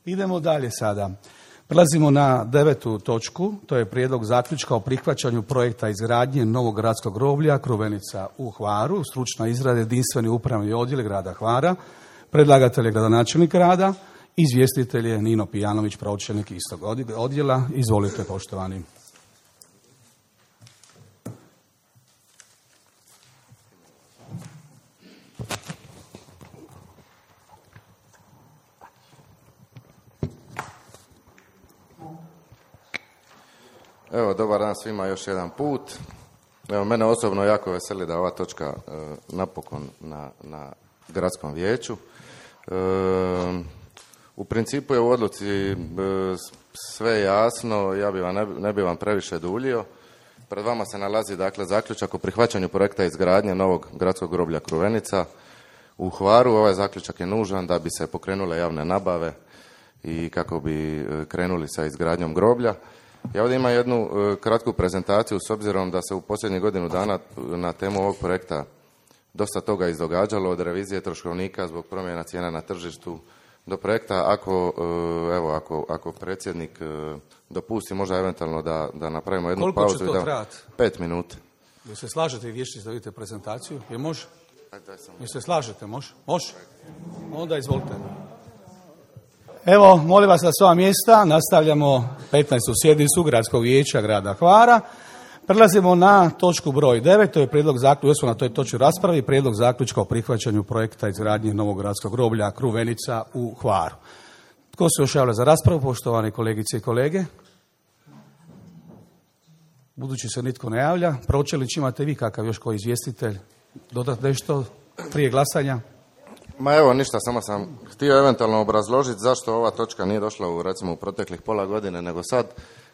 Idemo dalje sada. Prelazimo na 9. točku, to je prijedlog zaključka o prihvaćanju projekta izgradnje novog gradskog groblja Kruvenica u Hvaru, stručna izrada jedinstveni upravni odjel grada Hvara, predlagatelj je gradonačelnik grada, izvjestitelj je Nino Pijanović, pročelnik istog odjela. Izvolite, poštovani. Evo, dobar dan svima još jedan put. Evo, mene osobno jako veseli da ova točka napokon na gradskom vijeću. U principu je u odluci sve jasno, ne bi vam previše duljio. Pred vama se nalazi dakle zaključak o prihvaćanju projekta izgradnje novog gradskog groblja Kruvenica u Hvaru. Ovaj zaključak je nužan da bi se pokrenule javne nabave i kako bi krenuli sa izgradnjom groblja. Ja ovdje imam jednu kratku prezentaciju s obzirom da se u posljednjih godinu dana na temu ovog projekta dosta toga izdogađalo, od revizije troškovnika zbog promjena cijena na tržištu do projekta. Ako predsjednik dopusti, možda eventualno da napravimo jednu pauzu. Koliko će to trajati? 5 minuta. Jel se slažete i vješći da vidite prezentaciju? Je može? Jel se slažete? Može? Može? Onda izvolite. Evo, molim vas na sva mjesta, nastavljamo 15. sjednicu Gradskog vijeća grada Hvara. Prelazimo na točku broj 9, to je prijedlog zaključka, na toj točki raspravi, prijedlog zaključka o prihvaćanju projekta izgradnje novog gradskog groblja Kruvenica u Hvaru. Tko se još javlja za raspravu, poštovane kolegice i kolege? Budući se nitko ne javlja, pročelić, imate vi kakav još koji izvjestitelj dodati nešto prije glasanja? Ma evo, ništa, samo sam htio eventualno obrazložiti zašto ova točka nije došla u proteklih pola godine nego sad.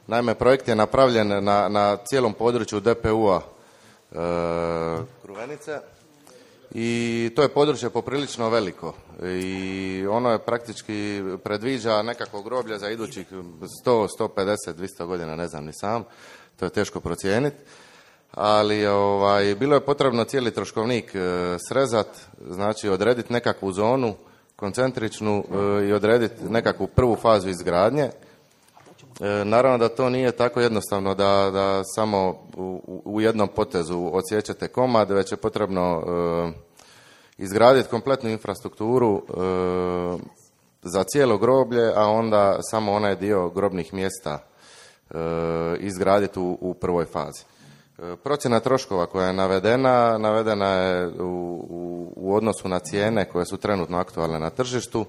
Naime, projekt je napravljen na cijelom području DPU-a Kruvenice i to je područje poprilično veliko i ono je praktički predviđa nekakvo groblje za idućih 100, 150, 200 godina, ne znam ni sam, to je teško procijeniti. Ali bilo je potrebno cijeli troškovnik srezat, znači odrediti nekakvu zonu koncentričnu i odrediti nekakvu prvu fazu izgradnje. Naravno da to nije tako jednostavno da samo u jednom potezu odsjećate komad, već je potrebno izgraditi kompletnu infrastrukturu za cijelo groblje, a onda samo onaj dio grobnih mjesta izgraditi u prvoj fazi. Procjena troškova koja je navedena je u odnosu na cijene koje su trenutno aktualne na tržištu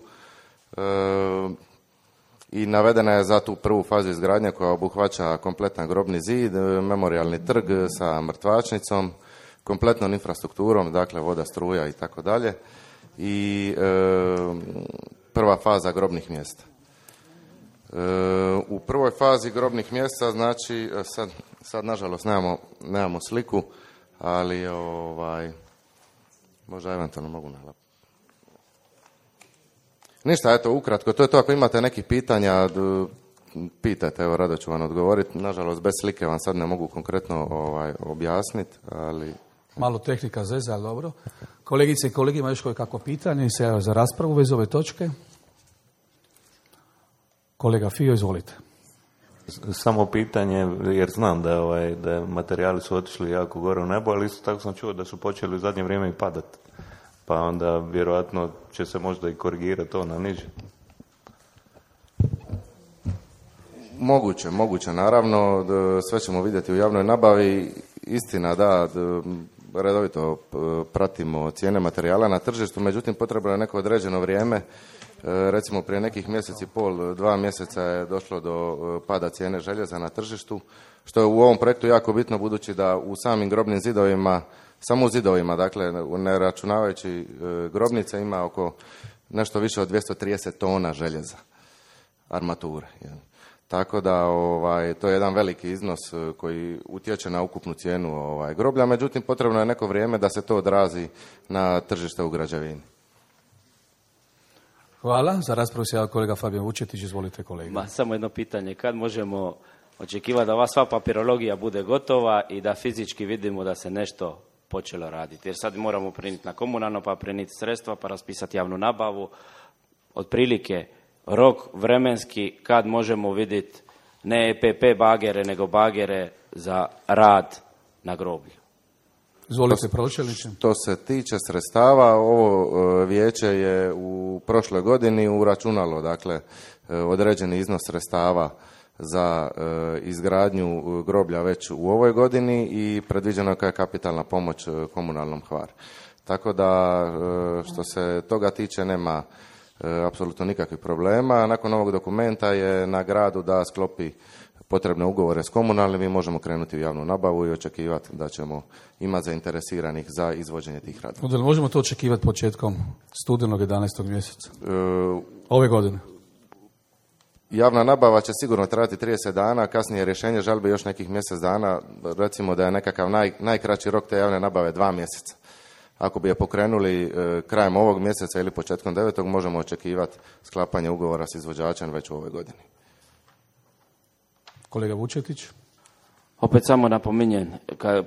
i navedena je za tu prvu fazu izgradnje koja obuhvaća kompletan grobni zid, memorijalni trg sa mrtvačnicom, kompletnom infrastrukturom, dakle voda, struja i tako dalje, i prva faza grobnih mjesta. U prvoj fazi grobnih mjesta, znači sad nažalost nemamo sliku, ali možda eventualno mogu nalapiti. Ništa, eto, ukratko, to je to. Ako imate nekih pitanja, pitajte, evo, rado ću vam odgovoriti. Nažalost, bez slike vam sad ne mogu konkretno objasniti, ali... Malo tehnika zeza, ali dobro. Kolegice i kolege, ima još koje kako pitanje i se za raspravu bez ove točke. Kolega Fio, izvolite. Samo pitanje, jer znam da materijali su otišli jako gore u nebo, ali isto tako sam čuo da su počeli u zadnje vrijeme i padati. Pa onda vjerojatno će se možda i korigirati to na niže. Moguće, naravno, sve ćemo vidjeti u javnoj nabavi. Istina, da, redovito pratimo cijene materijala na tržištu, međutim potrebno je neko određeno vrijeme. Recimo prije nekih mjesec i pol, 2 mjeseca je došlo do pada cijene željeza na tržištu, što je u ovom projektu jako bitno budući da u samim grobnim zidovima, samo u zidovima, dakle ne računavajući grobnice, ima oko nešto više od 230 tona željeza, armature. Tako da to je jedan veliki iznos koji utječe na ukupnu cijenu groblja, međutim potrebno je neko vrijeme da se to odrazi na tržište u građevini. Hvala. Za raspravu se javlja kolega Fabijan Vučetić. Izvolite, kolega. Samo jedno pitanje. Kad možemo očekivati da ova sva papirologija bude gotova i da fizički vidimo da se nešto počelo raditi? Jer sad moramo prenijeti na komunalno, pa prenijeti sredstva, pa raspisati javnu nabavu. Otprilike rok vremenski kad možemo vidjeti ne EPP bagere, nego bagere za rad na groblju. Izvolite, pročelniče. Što se tiče sredstava, ovo vijeće je u prošloj godini uračunalo, dakle, određeni iznos sredstava za izgradnju groblja već u ovoj godini i predviđeno je kao kapitalna pomoć komunalnom Hvar. Tako da, što se toga tiče, nema apsolutno nikakvih problema. Nakon ovog dokumenta je na gradu da sklopi potrebne ugovore s komunalnim i možemo krenuti u javnu nabavu i očekivati da ćemo imati zainteresiranih za izvođenje tih radova. Onda možemo to očekivati početkom studenog 11. mjeseca ove godine? Javna nabava će sigurno trajati 30 dana, kasnije rješenje žalbe još nekih mjesec dana, recimo da je nekakav najkraći rok te javne nabave 2 mjeseca. Ako bi je pokrenuli krajem ovog mjeseca ili početkom 9. možemo očekivati sklapanje ugovora s izvođačem već u ovoj godini. Kolega Vučetić. Opet samo napominjem, kad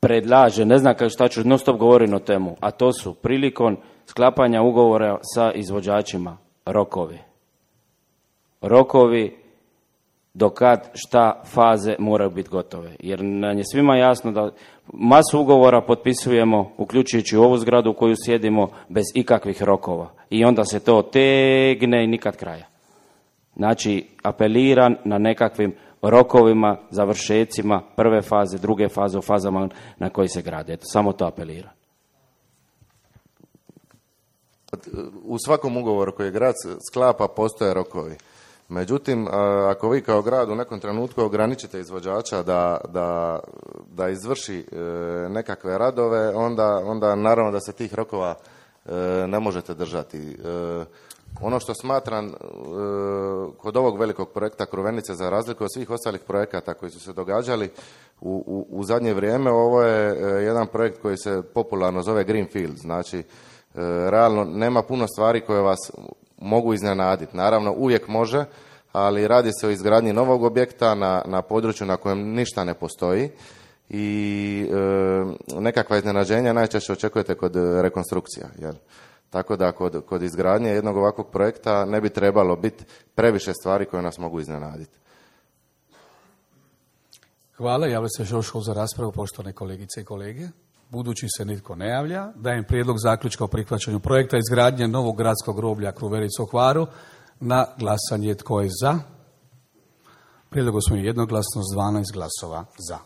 predlaže, ne znam šta ću, non stop govorim o temu, a to su prilikom sklapanja ugovora sa izvođačima rokovi. Rokovi do kad šta faze moraju biti gotove. Jer nam je svima jasno da masu ugovora potpisujemo, uključujući ovu zgradu u koju sjedimo, bez ikakvih rokova. I onda se to tegne i nikad kraja. Znači, apeliram na nekakvim rokovima, završecima prve faze, druge faze, u fazama na koji se grade. Eto, samo to apeliram. U svakom ugovoru koji grad sklapa postoje rokovi. Međutim, ako vi kao grad u nekom trenutku ograničite izvođača da izvrši nekakve radove, onda naravno da se tih rokova ne možete držati. Ono što smatram kod ovog velikog projekta Kruvenice, za razliku od svih ostalih projekata koji su se događali u zadnje vrijeme, ovo je jedan projekt koji se popularno zove Greenfield. Znači, realno nema puno stvari koje vas mogu iznenaditi. Naravno, uvijek može, ali radi se o izgradnji novog objekta na području na kojem ništa ne postoji i nekakva iznenađenja najčešće očekujete kod rekonstrukcija. Jel? Tako da kod izgradnje jednog ovakvog projekta ne bi trebalo biti previše stvari koje nas mogu iznenaditi. Hvala. Javlja se još za raspravu, poštovane kolegice i kolege. Budući se nitko ne javlja, dajem prijedlog zaključka o prihvaćanju projekta izgradnje novog gradskog groblja Kruverica u Hvaru na glasanje. Tko je za? Prijedlog usvojen jednoglasno s 12 glasova za.